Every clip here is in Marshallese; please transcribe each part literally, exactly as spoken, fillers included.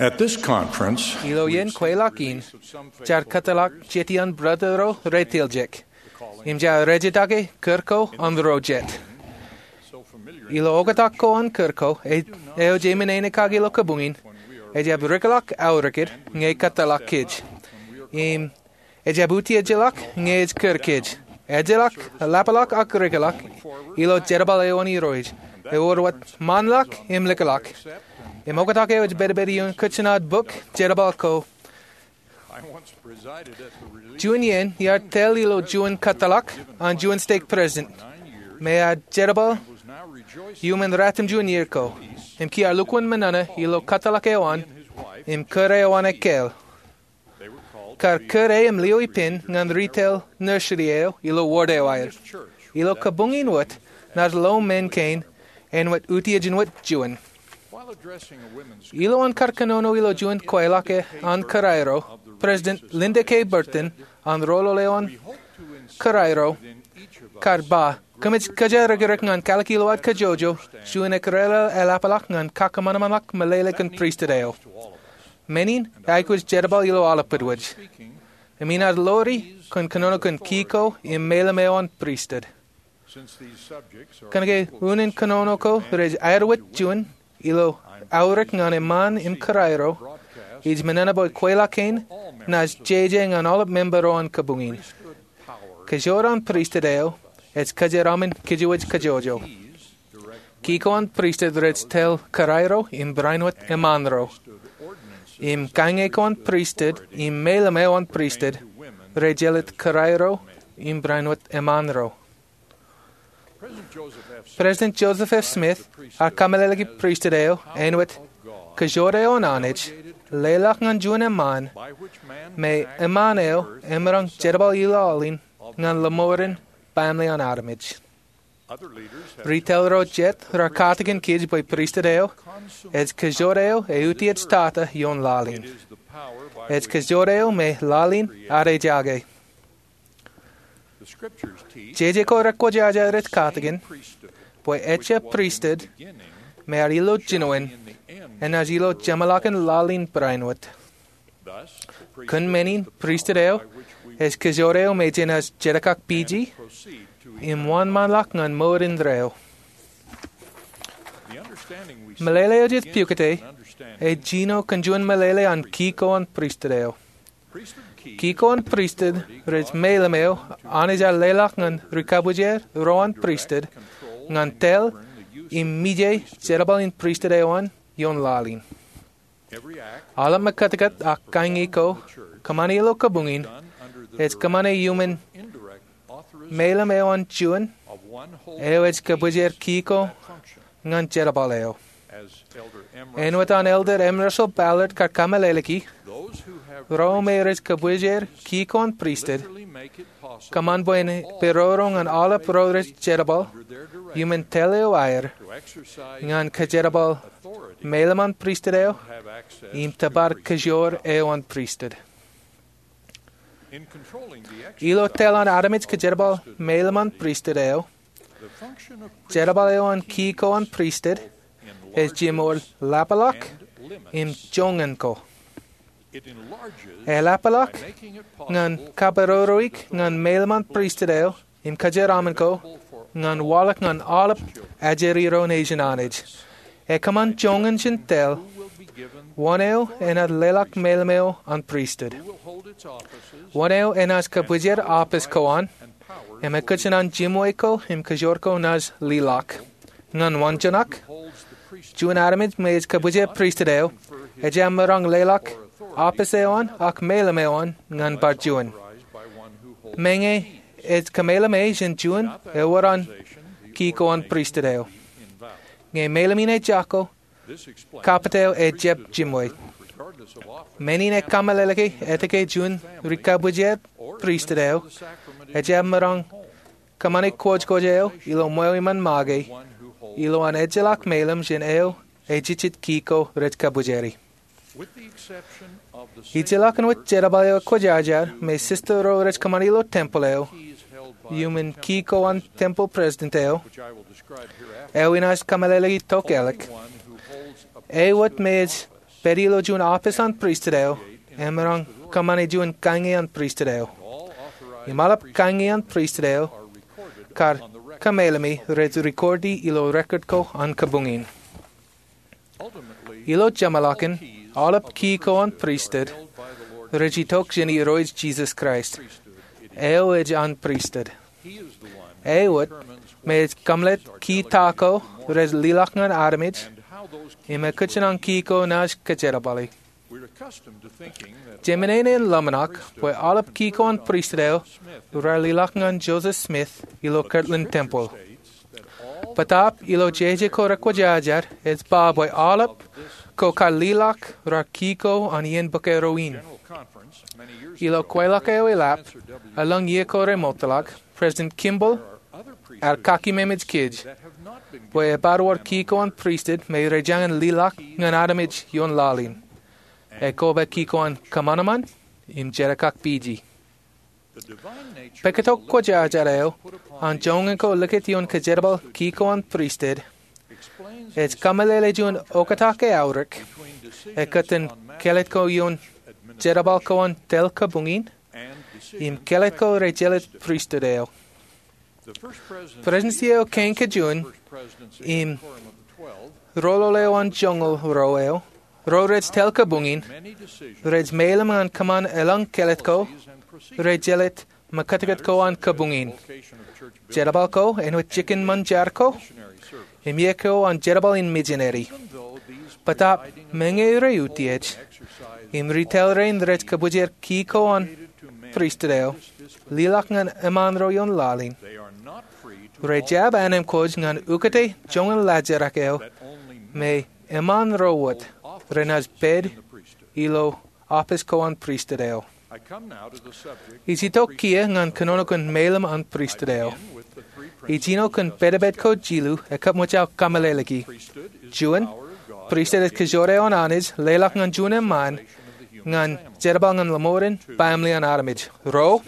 At this conference, ilo iien kweilọk in, jaar kōtḷọk jetian brother ro retiljek im jaar rejjitōk kūr ko an ro jet. Ilo oktak ko an kūr ko eo jej men āne kaki ilo kabuñ in, ejjab rikḷọk aorōk ñe kōtḷọk kōj im ejjab utiejḷọk ñe ej kūr kōj. Ejjeḷọk, lapḷọk ak rikḷọk ilo jerbal eo an Irooj. Ewōr wōt ṃaanḷọk im likḷọk. Im oktak eo ej pedped ioon kōjnat bok jerbal ko. Juon iien iar tōl ilo juon kōtḷọk an juon stek president me ear jerbal iuṃwin ratimjuon iiō ko im kiiō lukkuun ṃōṇōṇō ilo kōtḷọk eo an im kūr eo an ekkāāl. Kar kūr e im lio ippān ñan retail nursery eo ilo ward eo aer. Ilo kabuñ in wōt, naaj lo men kein āinwōt utiej in wōt juon. Ilowaan kar kōnono ilo juon kweilọk an kūrairo, President Linda K. Burton an roñoul eo an kūrairo kar ba, kōmij kōjatdikdik ñan kalikilowaad kajjojo juon ekdikdik eḷapḷọk ñan kakōṃanṃanḷọk meḷeḷe kōn pristut eo. Men in eaikuj jerbal ilo aolep wōt wōj. Im inaaj lori kōn kōnono kōn ki ko im meilōñ eo an pristut. Kōnke unin kōnono ko rej aer wōt juon ilo aorōk ñan eṃṃaan im kūrairo, ij ṃōṇōṇō bwe kweilọk kein naaj jeje ñan aolep member ro an kabuñ in. Kōjro an pristut eo ej kōjeraaṃṃan kōjwōj kajjojo. Ki ko an pristut rej tōl kūrairo im barāinwōt eṃṃaan ro. Im kaññe ko an pristut im meilōñ eo an pristut rej jelōt kūrairo im barāinwōt eṃṃaan ro. President Joseph F. Smith ear kameḷeḷeiki pristut eo āinwōt kajjojo eo an Anij, leḷọk ñan juon eṃṃaan, me eṃṃaan eo emaroñ jerbal ilọlin ñan lọmọọren baaṃle an armej. Retail ro jet raar katakin kōj bwe pristut eo ej kajjojo eo eutiej tata ioon laḷ in. Ej kajjojo eo me laḷ in ear ejake. Jeje ko rekwōjarjar ej katakin bwe ejjab pristut me ear ilo jinoin enaaj ilo jeṃḷọkin laḷ in barāinwōt. Kōn men in pristut eo ej kajjojo eo me jenaaj jeḷā kak piji im wōnṃaanḷọk ñan mour indeeo. Meḷeḷe eo jej pukot e ej jino kōn juon meḷeḷe an ki ko an pristut eo. Ki ko an pristut rej meilōñ eo Anij ear leḷọk ñan rikabujer ro an pristut ñan tōl im mije jerbal in pristut eo an ioon laḷ in. Aolep mekōtkōt ak kaññe ko kōṃṃane ilo kabuñ in ej kōṃṃane iuṃwin meilōñ eo an juon eo ej kabwijer ki ko ñan jerbal eo. Āinwōt an Elder M. Russell Ballard kar kameḷeḷeiki, ro me rej kabwijer ki ko an pristut kōṃṃan bwe en peroro ñan aolep ro rej jerbal iuṃwin tōl eo aer ñan kajerbal meilōñ an pristut eo im tōpar kōjro eo an pristut. Ilo tōl an armej kajerbal meilōñ an pristut eo, jerbal eo an ki ko an pristut ej jiṃor lapḷọk im joñan ko. Eḷapḷọk ñan kaperoroik ñan meilōñ an pristut eo im kajeraaṃṃan ko ñan waḷọk ñan aolep ajri ro nejin Anij. Ekōṃṃan joñan jān tōl wōn eo enaaj leḷọk meilōñ eo an pristut, wōn eo enaaj kabwijer aopis ko an, im ekōjkan an jimwe ko im kōjro ko naaj liḷọk. Ñan waanjoñak, juon armej me ej kabwijer pristut eo ejjab maroñ leḷọk aopis eo an ak meilōñ eo an ñan bar juon. Meñe ej kameilōñ jān juon ewōr an ki ko an pristut eo. Ñe meilōñ in ej jako, kapit eo ejjab jimwe. Men in ekameḷeḷeiki etke juon rikabwijer pristut eo ejjab maroñ kōṃṃane kwōjkwōj eo ilo ṃweo iṃaan make ilowaan ejjeḷọk meilōñ jān eo ejejjet ki ko rej kabwijeri. Ijjeḷọkin wōt jerbal eo ekwōjarjar me sista ro rej kōṃṃane ilo tempeḷ eo, iuṃwin ki ko an tempeḷ president eo, eo inaaj kameḷeḷeiki tokālik, e wōt me ej pād ilo juon office an pristut eo, emaroñ kōṃṃane juon kaññe an pristut eo. Im aolep kaññe an pristut eo kar kōmeḷeḷe me rej record e ilo record ko an kabuñ in. Ilo jeṃḷọkin, aolep ki ko an pristut rej itok jān Irooj Jisōs Kraist. Eo ej an pristut. Eo wōt me ej kōmeḷeḷe ki ta ko rej leḷọk ñan armej, im ekōjkan ki ko naaj kōjerbale. Jeṃae ṇe en ḷōmṇak bwe aolep ki ko an pristut eo raar leḷọk ñan Joseph Smith ilo Kirtland Temple. Bōtaab ilo jeje ko rekwōjarjar ej ba bwe aolep ko kar leḷọk raar ki ko an iien bōk eo in. Ilo kweilọk eo eḷap, elōñ iiō ko remootḷọk, President Kimball ear kakememej kōj bwe ebar wōr ki ko an pristut me rej jañin leḷọk ñan armej ioon laḷ in. Ekoba ki ko an kōṃanṃan im jerkakpeje. Pāktok kwōjarjar eo an joñan ko likūt ioon kōjerbal ki ko an pristut ej kōmeḷeḷe juon oktak eaorōk ekōttan kāālōt ko ioon jerbal ko an tōl kabuñ in im kāālōt ko rej jelōt pristut eo. Prestudensi eo kein kajjojo im roñoul eo an joñoul ro eo, ro rej tōl kabuñ in, rej meḷeḷe ñan kōṃṃan elōñ kāālōt ko rej jelōt mekōtkōt ko an kabuñ in. Jerbal ko āinwōt jikin ṃōn jar ko im iiō ko an jerbal in mijineri. Bōtaab meñe rej utiej im ri tōl rein rej kōbwijer ki ko an pristut eo leḷọk ñan eṃṃaan ro ioon laḷ in, rej jab anemkwōj ñan ukōte joñan laajrak eo me eṃṃaan ro wōt renaaj pād ilo office ko an pristut eo. Ij itok kiiō ñan kōnono kōn meḷeḷe an pristut eo. Ij jino kōn pedped ko jilu ekkā ṃōj aō kōmeḷeḷeiki. Juon, pristut ej kōjro eo an Anij leḷọk ñan juon eṃṃaan ñan jerbal ñan ḷōṃoren baaṃle an armej. Ruo,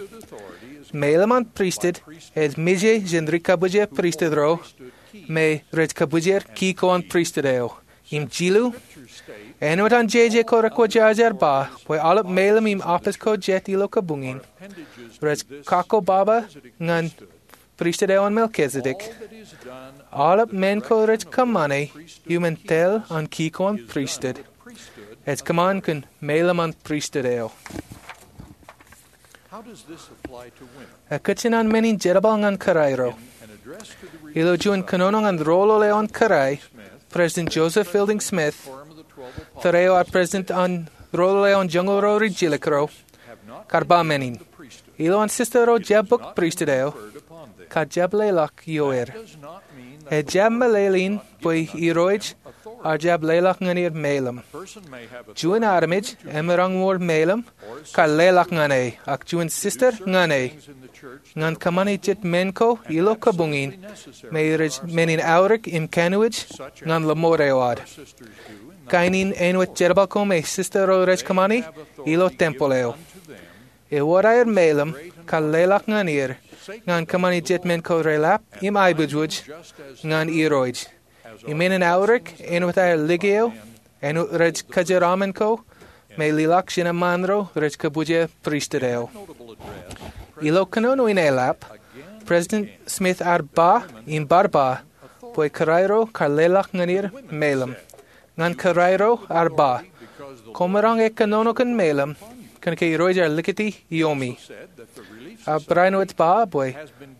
meḷeḷe an pristut ej mije jān ri kabwije pristut ro me rej kōbwijer ki ko an pristut eo. Im jilu, āinwōt an jeje ko rekwōjarjar ba bwe aolep meḷeḷe im office ko jet ilo kabuñ in rej kakkobaba ñan pristut eo an Melchizedek. Aolep men ko rej kōṃṃane iuṃwin tōl an ki ko an pristut ej kōṃṃan kōn meḷeḷe an pristut eo. Ekōjkan men in jerbal ñan kōrā ro. Ilo juon kōnono ñan roñoul eo an kōrā, President Joseph Fielding Smith, tōre eo ear president an roñoul eo an joñoul ro rijjilōk ro, kar ba men in. Ilo an sista ro jab bōk pristut eo, kar jab leḷọk ioer. Ejjab meḷeḷein bwe Irooj ear jab leḷọk ñan er meḷeḷe. Juon armej emaroñ wōr meḷeḷe kar leḷọk ñan e, ak juon sista ñan e, ñan kōṃṃane jet men ko ilo kabuñ in me rej men in aorōk im kanooj ñan ḷōṃoor eo ad. Kain in āinwōt jerbal ko me sista ro rej kōṃṃane ilo tempeḷ eo. Ewōr aer meḷeḷe kar leḷọk ñan er ñan kōṃṃane jet men ko reḷap im aiboojoj ñan Irooj. Im men in aorōk āinwōt aer liki eo, āinwōt rej kōjeraaṃṃan ko, me leḷọk jān eṃṃaan ro rej kōbwijer pristut eo. Ilo kōnono in eḷap, President Smith ear ba im bar ba bwe kōrā ro kar leḷọk ñan er meḷeḷe. Ñan kōrā ro ear ba, koṃ maroñ kōnono kōn meḷeḷe kōnke Irooj ear likūti iiomi. Ear barāinwōt ba bwe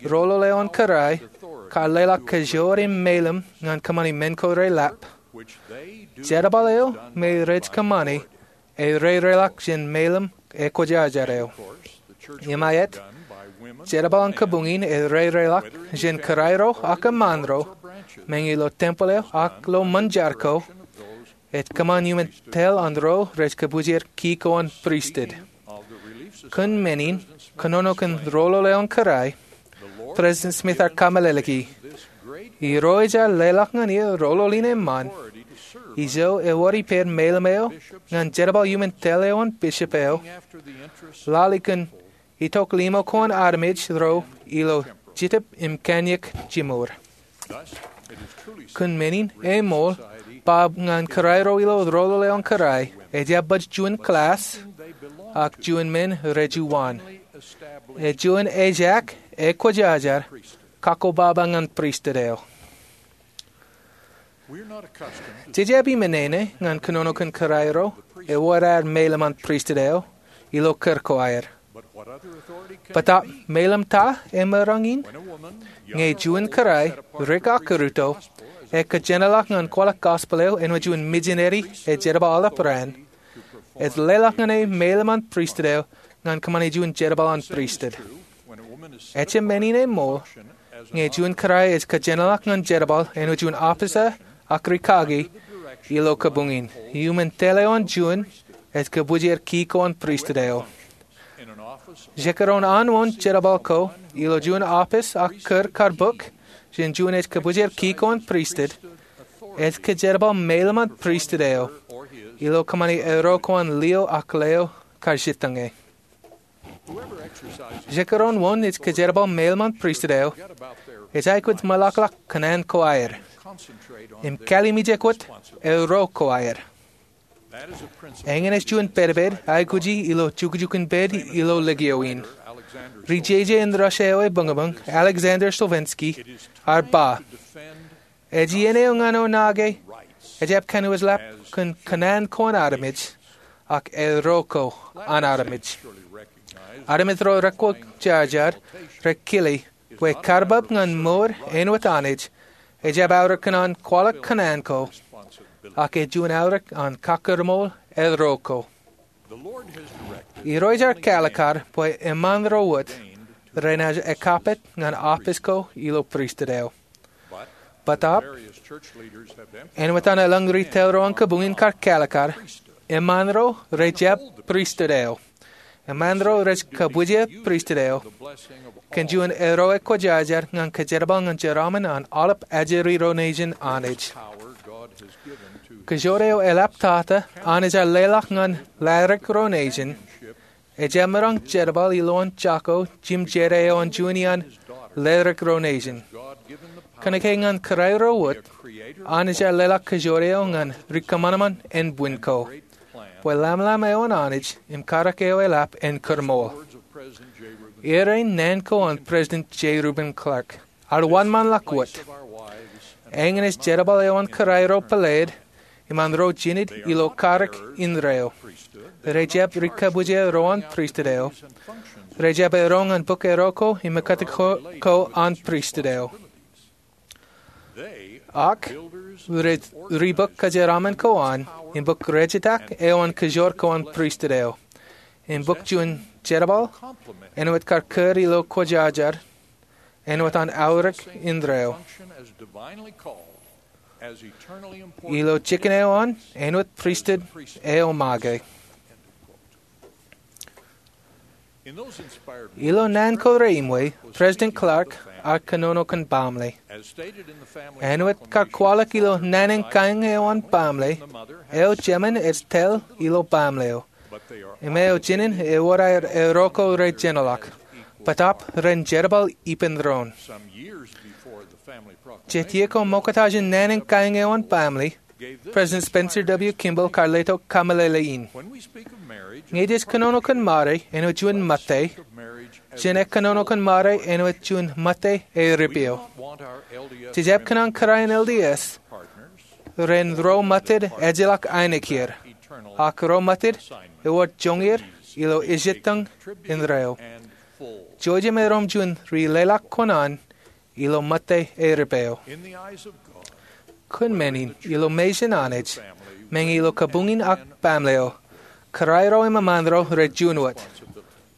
roñoul eo an kōrā kar leḷọk kōjro im meḷeḷe ñan kōṃṃane men ko reḷap. Jerbal eo me rej kōṃṃane ej rereḷọk jān meḷeḷe ekwōjarjar eo. Im aet, jerbal an kabuñ in ej rereḷọk jān kōrā ro ak eṃṃaan ro, meñe ilo tempeḷ eo ak ilo ṃōn jar ko, ej kōṃṃan iuṃwin tōl an ro rej kōbwijer ki ko an pristut. Kōn men in, kōnono kōn roñoul eo an kōrā, President Smith ear kōmeḷeḷeiki, Irooj ear leḷọk ñan er roñoul in eṃṃaan, ijo ewōr ippāer meḷeḷe eo ñan jerbal iuṃwin tōl eo an bishop eo, lale kōn itok limo ko an armej ro ilo Jetōb im Kōnyak Jimor. Kōn men in eṃool ba ñan kōrā ro ilo roñoul eo an kōrā, ejjab baj juon class, ak juon men rejuon. Ej juon ejaak ekwōjarjar kakkobaba ñan pristut eo. Jej jab iminene ñan kōnono kōn kōrā ro ewōr aer meilōm an pristut eo ilo kūr ko aer. Bōtaab meilōm ta emaroñ in? Ñe juon kōrā, rik ak rūtto, ekōjenolọk ñan kwaḷọk gospel eo āinwōt juon mijineri ej jerbal aolep raan, ej leḷọk ñan e meilōm an pristut eo ñan kōṃṃane juon jerbal an pristut. Ejjab men in ṃool, ñe juon kōrā ej kōjenolọk ñan jerbal āinwōt juon officer ak rikaki ilo kabuñ in, iuṃwin tōl eo an juon ej kōbwijer ki ko an pristut eo. Jekdọọn an wōn jerbal ko ilo juon office ak kūr kar bōk jān juon ej kōbwijer ki ko an pristut, ej kōjerbal meilōm an pristut eo ilo kōṃṃane ero ko an lio ak leo kar jitōñe. Jekdọọn wōn ej kōjerbal meilōm an pristut eo ej aikuj ṃōḷaḷḷọk kōṇaan ko aer im kallimjek wōt ero ko aer. Eñin ej juon pedped aikuji ilo jukjukun pād ilo likio in. Ri-jeje in Russia eo ebuñbuñ, Alexander Solzhenitsyn, ear ba, ej iien eo ñan eo nake ejjab kōnono lap kōn kōṇaan ko an armej ak ero ko an armej. Armej ro rekwōjarjar rekile bwe karbab ñan mour āinwōt Anij ejjab aorōk kōn an kwaḷọk kōṇaan ko, ak ej juon aorōk an kakōrmool ero ko. Irooj ear kaalikkar bwe eṃṃan ro wōt renaaj ekapit ñan office ko ilo pristut eo. Bōtaab, āinwōt an elōñ retail ro an kabuñ in kar kaalikkar, eṃṃan ro rejjab pristut eo. Eṃṃan ro rej kōbwijer pristut eo kōn juon ero ekwōjarjar ñan kōjerbal ñan jeraaṃṃan an aolep ajri ro nejin Anij. Kōjoor eo eḷap tata Anij ear leḷọk ñan ladik ro nejin ejjab maroñ jerbal ilowaan jako jimjede eo an juon iaan ladik ro nejin. Kōnke ñan kōrā ro wōt, Anij ear leḷọk kōjoor eo ñan ri kōṃanṃan ānbwin ko, bwe lamlam eo an Anij im karōk eo eḷap en kōrmool. Iien naan ko an President J. Reuben Clark, ear wōnṃaanḷọk wōt. Eñin ej jerbal eo an kōrā ro pāleid iṃaan ro jined ilo karōk indeeo. Rejjab ri kōbwijer ro an pristut eo. Rejjab eroñ an bōk ero ko im ekkōt ko an pristut eo. Ak rej ri bōk kōjeraaṃṃan ko an im bōk rejitak eo an kōjoor ko an pristut eo im bōk juon jerbal āinwōt kar kūr ilo kwōjarjar āinwōt an aorōk indeeo ilo jikin eo an āinwōt pristut eo make. Ilo naan ko reimwe, President Clark ear kōnono kōn baaṃle. Āinwōt kar kwaḷọk ilo naan in kaeñ eo an baaṃle, eo jemān ej tōl ilo baaṃle eo im eo jinen ewōr aer ero ko rejenolọk, bōtaab ren jerbal ippān doon. Jet iiō ko ṃokta jān naan in kaeñ eo an baaṃle, President Spencer W. Kimball kar letok kameḷeḷe in. Ñe jej kōnono kōn māre āinwōt juon ṃōtte, jen kōnono kōn māre āinwōt juon ṃōtte eo eripeo. Jej jab kōṇaan kōrā in L D S ren ro ṃōttan ejjeḷọk ainikieir, ak ro ṃōttan ewōr joñier ilo ejjettōñ indeeo. Jouj im erom juon ri leḷọk kōṇaan ilo ṃōtte eo eripeo. Kōn men in, ilo mejān Anij, meñe ilo kabuñ in ak baaṃle eo, kōrā ro im eṃṃaan ro rej juon wōt.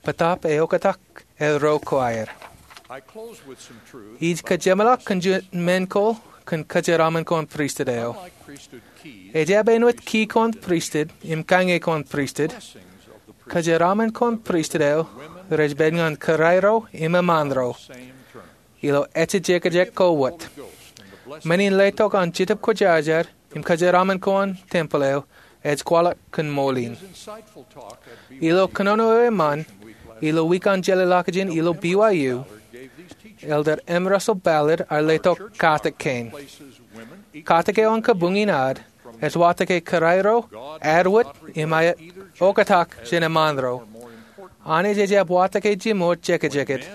Bōtaab eoktak ero ko aer. Ij kōjeṃḷọk kōn juon men ko kōn kōjeraaṃṃan ko an pristut eo. Ejjab āinwōt ki ko an pristut im kañe ko an pristut, kōjeraaṃṃan ko an pristut eo rej pād ñan kōrā ro im eṃṃaan ro ilo ejejekjek ko wōt. Men in letok an Jetōb Kwōjarjar im kōjeraaṃṃan ko an tempel eo ej kwaḷọk kōn ṃool in. Ilo kōnono eo eṃṃan ilo wiik an jelōḷọkjeṇ ilo B Y U, Elder M. Russell Ballard ear letok katak kein. Katak eo an kabuñ in ad Ej watōk ke kōrā ro ad wōt im aet oktak jān eṃṃaan ro. Anij ejjab watōk ke jiṃor jekjeket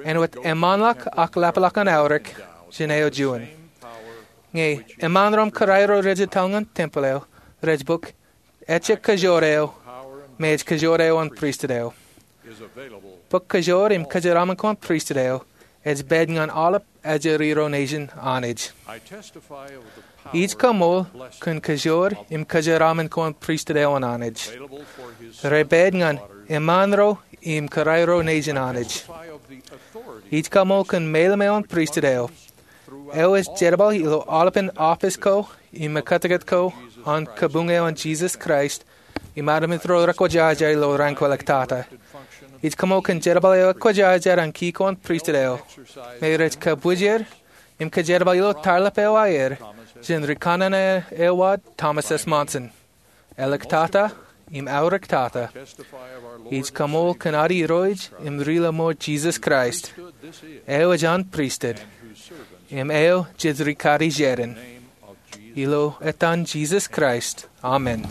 āinwōt eṃṃanḷọk ak lapḷọk an aorōk jān eo juon. Ñe eṃṃaan ro im kōrā ro rej etal ñan tempel eo rej bōk ejjab kōjoor eo, im ej kōjoor eo an pristut eo. Bōk kōjoor im kōjeraaṃṃan ko an pristut eo ej pād ñan aolep ajri ro nejin Anij. Ij kaṃool kōn kōjoor im kōjeraaṃṃan ko an pristut eo an Anij. Rej pād ñan eṃṃaan ro im kōrā ro nejin Anij. Ij kaṃool kōn mālim eo an pristut eo, eo ej jerbal ilo aolepān office ko im ekkōtkōt ko an kabuñ eo an Jesus Christ im armej ro rekwōjarjar ilo rainkwōjeḷā. Ij kaṃool kōn jerbal eo ekwōjarjar an ki ko an pristut eo me rej kabwijer im kōjerbal ilo tarḷap eo aer jān rikanaan eo ad Thomas S. Monson. Āliktata im aōraktata, ij kaṃool kōn ad Irooj im Rilaṃōj Jesus Christ, eo ej an pristut im eo jej rikaki jān. Ilo etan Jesus Christ, amen.